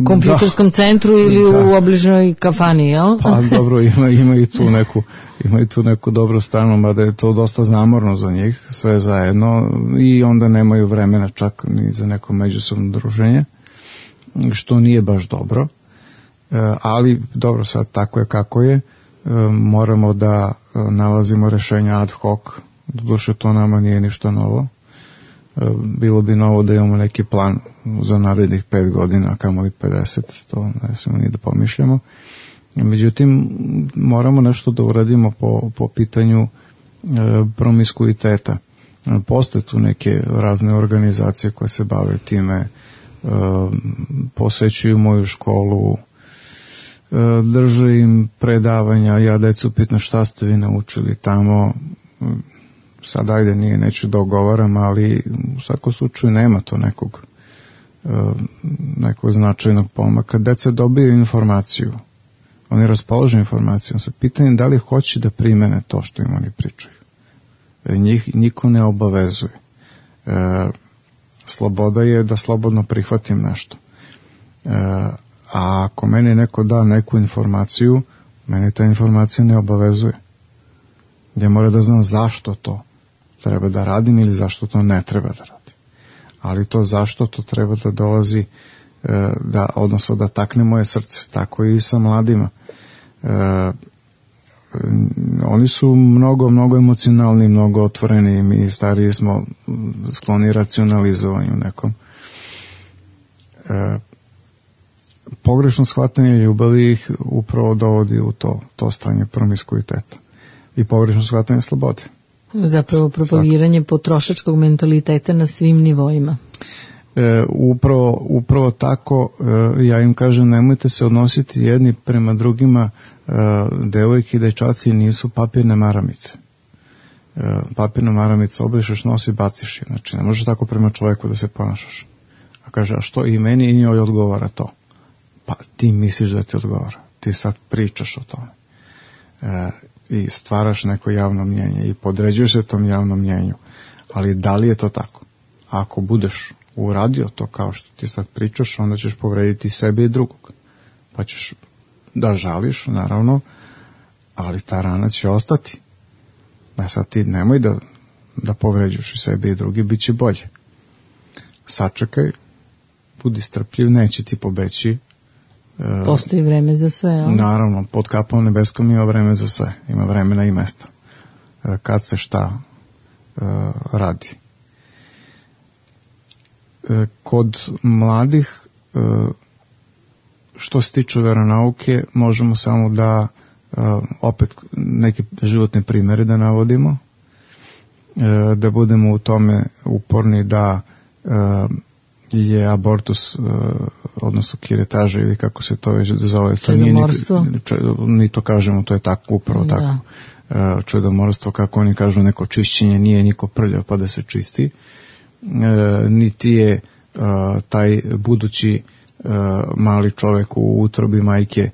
kompjuterskom da. centru ili da. u obližnjoj kafani, jel? Pa dobro, ima, ima, i tu neku, ima i tu neku dobru stranu, mada je to dosta zamorno za njih, sve zajedno, i onda nemaju vremena čak ni za neko međusobno druženje, što nije baš dobro, ali dobro, sad tako je kako je, moramo da nalazimo rešenja ad hoc. Doduše, to nama nije ništa novo. Bilo bi novo da imamo neki plan za narednih pet godina, kamoli pedeset, to ne smemo ni da pomišljamo. Međutim, moramo nešto da uradimo po, po pitanju e, promiskuiteta. Postoje tu neke razne organizacije koje se bave time, e, posećuju moju školu, e, drže im predavanja, ja decu pitam šta ste vi naučili tamo. Sad ajde, nije, neću da ogovaram, ali u svakom slučaju nema to nekog, nekog značajnog pomaka. Deca dobiju informaciju, oni raspolože informacijom sa pitanjem da li hoće da primene to što im oni pričaju. Njih niko ne obavezuje. E, sloboda je da slobodno prihvatim nešto. E, a ako meni neko da neku informaciju, meni ta informacija ne obavezuje. Ja moram da znam zašto to treba da radim ili zašto to ne treba da radim. Ali to zašto to treba da dolazi, da, odnosno da takne moje srce. Tako i sa mladima. E, oni su mnogo, mnogo emocionalni, mnogo otvoreni, mi stariji smo skloni racionalizovanju nekom. E, pogrešno shvatanje ljubavi ih upravo dovodi u to, to stanje promiskuiteta i pogrešno shvatanje slobode. Zapravo propagiranje Svako. potrošačkog mentaliteta na svim nivoima. E, upravo, upravo tako, e, ja im kažem, nemojte se odnositi jedni prema drugima, e, devojke i dečaci nisu papirne maramice. E, papirna maramica obrišeš, nosi, baciš je. Znači, ne možeš tako prema čovjeku da se ponašaš. A kaže, a što i meni i njoj odgovara to? Pa ti misliš da ti odgovara. Ti sad pričaš o tome. E, i stvaraš neko javno mnjenje i podređuješ se tom javnom mnjenju. Ali da li je to tako? Ako budeš uradio to kao što ti sad pričaš, onda ćeš povrediti sebe i drugog. Pa ćeš da žališ, naravno, ali ta rana će ostati. A sad ti nemoj da, da povređuješ i sebe i drugi, bit će bolje. Sačekaj, budi strpljiv, neće ti pobeći. Postoji vreme za sve, ali? Naravno, pod kapom nebeskom ima vreme za sve. Ima vremena i mesta. Kad se šta uh, radi. Kod mladih, što se tiče veronauke, možemo samo da opet neke životne primere da navodimo, da budemo u tome uporni da je abortus, odnosno kiretaža ili kako se to već zove, čedomorstvo, mi to kažemo, to je tako, upravo da. tako, čedomorstvo, kako oni kažu, neko čišćenje, nije niko prljav pa da se čisti. E, niti je uh, taj budući uh, mali čovjek u utrobi majke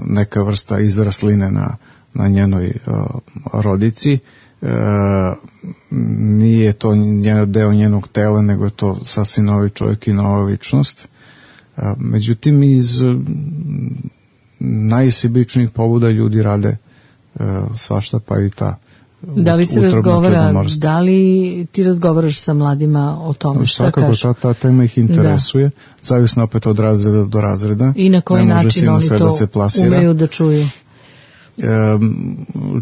neka vrsta izrasline na, na njenoj rodici. Nije to njen deo njenog tela, nego je to sasvim novi čovjek i nova ličnost. Međutim, iz najsebičnijih pobuda ljudi rade svašta, pa i ta Da li se razgovara, da li ti razgovaraš sa mladima o tome, šta kažu? Svakako, ta, ta tema ih interesuje, da. Zavisno opet od razreda do razreda. I na koji način oni to da umeju da čuju? E,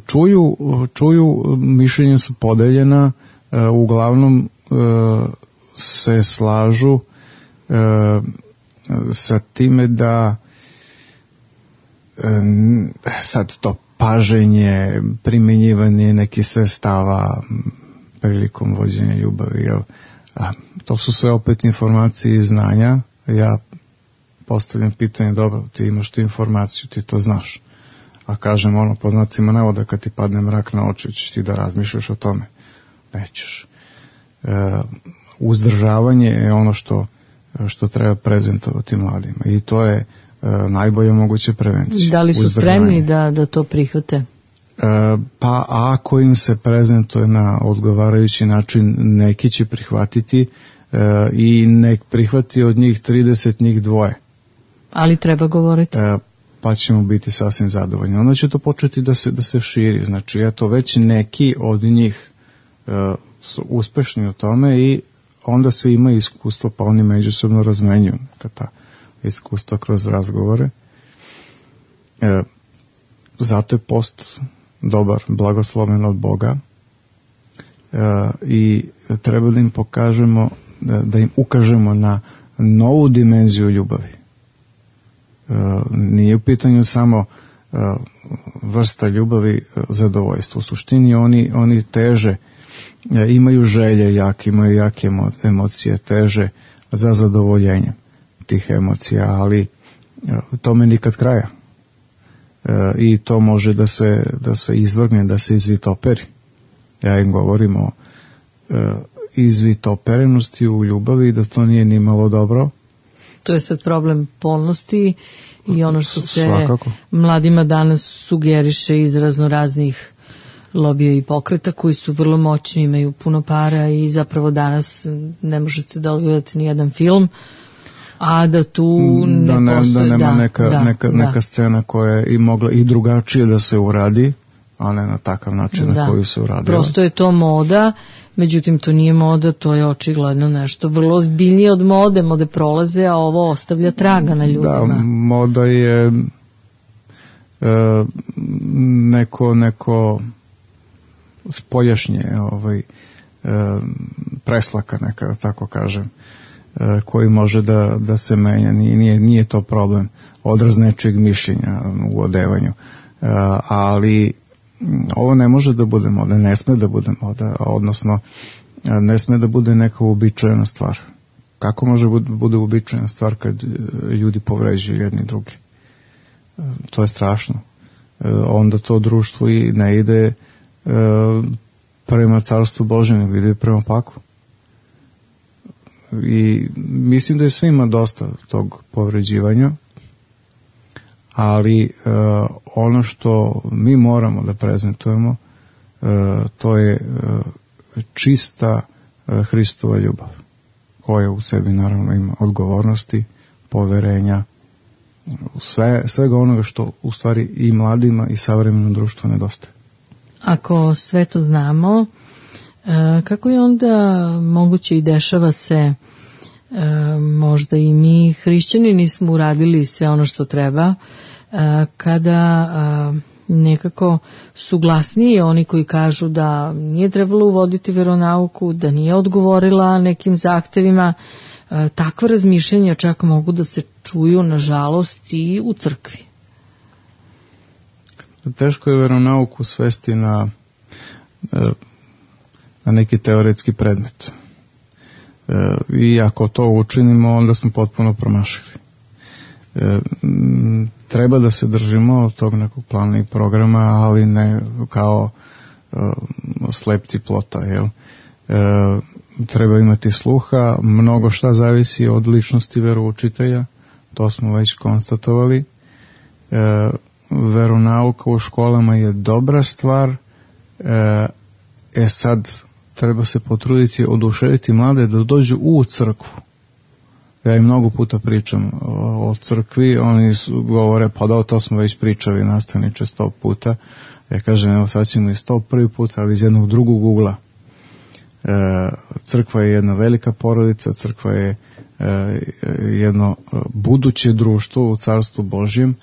čuju, čuju, mišljenja su podeljena, e, uglavnom e, se slažu e, sa time da e, sad to paženje, primenjivanje nekih sredstava prilikom vođenja ljubavi, jel? A, to su sve opet informacije i znanja. Ja postavljam pitanje, dobro, ti imaš tu informaciju, ti to znaš. A kažem, ono, po znacima navoda, kad ti padne mrak na oči, ćeš ti da razmišljaš o tome. Nećeš. E, uzdržavanje je ono što, što treba prezentovati mladima. I to je e, najbolja moguća prevencija. Da li su spremni da, da to prihvate? E, pa ako im se prezentuje na odgovarajući način, neki će prihvatiti e, i nek prihvati od njih trideset, njih dvoje. Ali treba govoriti. E, pa ćemo biti sasvim zadovoljni. Onda će to početi da se, da se širi. Znači, eto, već neki od njih e, su uspešni u tome i onda se ima iskustvo, pa oni međusobno razmenjuju ta iskustva kroz razgovore. E, zato je post dobar, blagosloven od Boga e, i treba da im pokažemo, da, da im ukažemo na novu dimenziju ljubavi. E, nije u pitanju samo e, vrsta ljubavi, zadovoljstva. U suštini oni, oni teže, e, imaju želje jake, imaju jake emo, emocije, teže za zadovoljenje tih emocija, ali e, tome nikad kraja. E, I to može da se, da se izvrgne, da se izvitoperi. Ja im govorim o e, izvitoperenosti u ljubavi, da to nije ni malo dobro. To je sad problem polnosti i ono što se Svakako. Mladima danas sugeriše iz raznoraznih lobija i pokreta koji su vrlo moćni, imaju puno para i zapravo danas ne možete da odgledate ni jedan film, a da tu ne, da ne postoje, da nema da, neka, da, neka, da. neka scena koja je i mogla i drugačije da se uradi, a ne na takav način da. Na koji se uradila. Prosto je to moda, međutim to nije moda, to je očigledno nešto vrlo ozbiljnije od mode, mode prolaze, a ovo ostavlja traga na ljudima. Da, moda je e, neko, neko spoljašnje ovaj, e, preslaka neka, tako kažem, e, koji može da, da se menja, nije, nije to problem, odraz nečeg mišljenja u odevanju, e, ali ovo ne može da bude moda, ne sme da bude moda, odnosno ne sme da bude neka uobičajena stvar. Kako može da bude uobičajena stvar kad ljudi povređuju jedni drugi? To je strašno. Onda to društvo i ne ide prema carstvu Božjem, nego ide prema paklu. I mislim da je svima dosta tog povređivanja, ali uh, ono što mi moramo da prezentujemo, uh, to je uh, čista uh, Hristova ljubav, koja u sebi naravno ima odgovornosti, poverenja, sve, svega onoga što u stvari i mladima i savremenom društvu nedostaje. Ako sve to znamo, uh, kako je onda moguće i dešava se, uh, možda i mi hrišćani nismo uradili sve ono što treba, kada nekako su glasniji oni koji kažu da nije trebalo uvoditi veronauku, da nije odgovorila nekim zahtevima, takva razmišljanja čak mogu da se čuju, nažalost, i u crkvi. Teško je veronauku svesti na, na neki teoretski predmet. I ako to učinimo, onda smo potpuno promašili. Treba da se držimo od tog nekog plana i programa, ali ne kao uh, slepci plota, jel? Uh, treba imati sluha, mnogo šta zavisi od ličnosti veroučitelja, to smo već konstatovali, E, veronauka u školama je dobra stvar, e, e sad treba se potruditi, oduševiti mlade da dođu u crkvu. Ja im mnogo puta pričam o, o crkvi, oni su, govore, pa da, to smo već pričali nastavniče sto puta. Ja kažem, evo sad ćemo i sto prvi put, ali iz jednog drugog ugla. E, crkva je jedna velika porodica, crkva je e, jedno buduće društvo u Carstvu Božjem.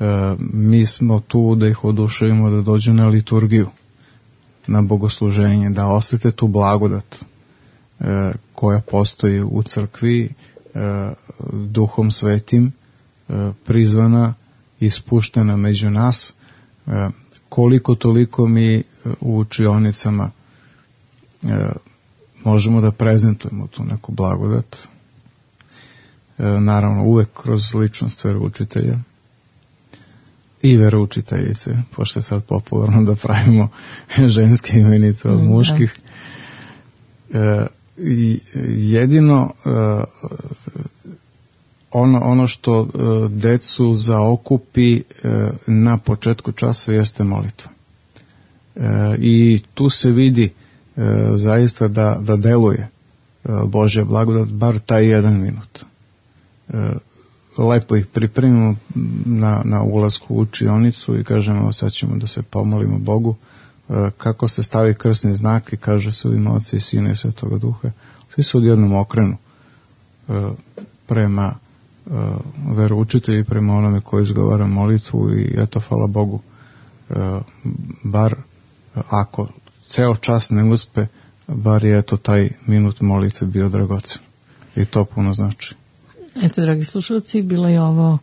E, mi smo tu da ih oduševimo da dođu na liturgiju, na bogosluženje, da osjete tu blagodat e, koja postoji u crkvi, e, Duhom Svetim, e, prizvana i spuštena među nas. E, koliko toliko mi u učionicama e, možemo da prezentujemo tu neku blagodat. E, naravno, uvek kroz ličnost veroučitelja i veroučiteljice, pošto je sad popularno da pravimo ženske imenice od muških. E, i jedino e, ono, ono što e, decu zaokupi e, na početku časa jeste molitva. E, I tu se vidi e, zaista da, da deluje e, Božja blagodat, bar taj jedan minut. E, lepo ih pripremimo na, na ulazku u učionicu i kažemo, sad ćemo da se pomolimo Bogu, e, kako se stavi krsni znak i kaže se u ime Oca i Sina i Svetoga Duha. Svi se odjednom okrenu e, prema e, veroučitelji, prema onome koji izgovara molitvu i eto, hvala Bogu, e, bar ako ceo čas ne uspe, bar je eto taj minut molitve bio dragocen. I to puno znači. Eto, dragi slušalci, bila je ovo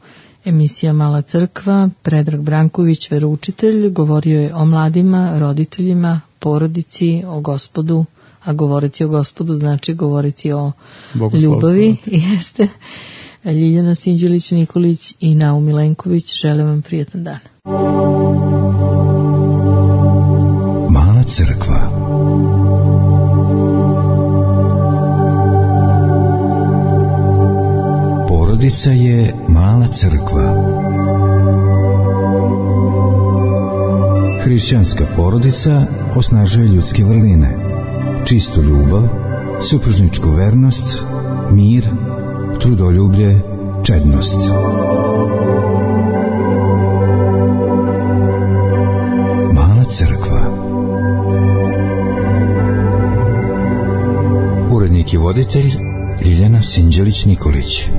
emisija Mala crkva. Predrag Branković, veroučitelj, govorio je o mladima, roditeljima, porodici, o Gospodu, a govoriti o Gospodu znači govoriti o ljubavi. Jeste. Ljiljana Sinđelić-Nikolić i Naum Milenković, želim vam prijetan dan. Mala crkva. Porodica je mala crkva. Hrišćanska porodica osnažuje ljudske vrline, čistu ljubav, supružničku vernost, mir, trudoljublje, čednost. Mala crkva. Urednik i voditelj Ljiljana Sinđelić-Nikolić.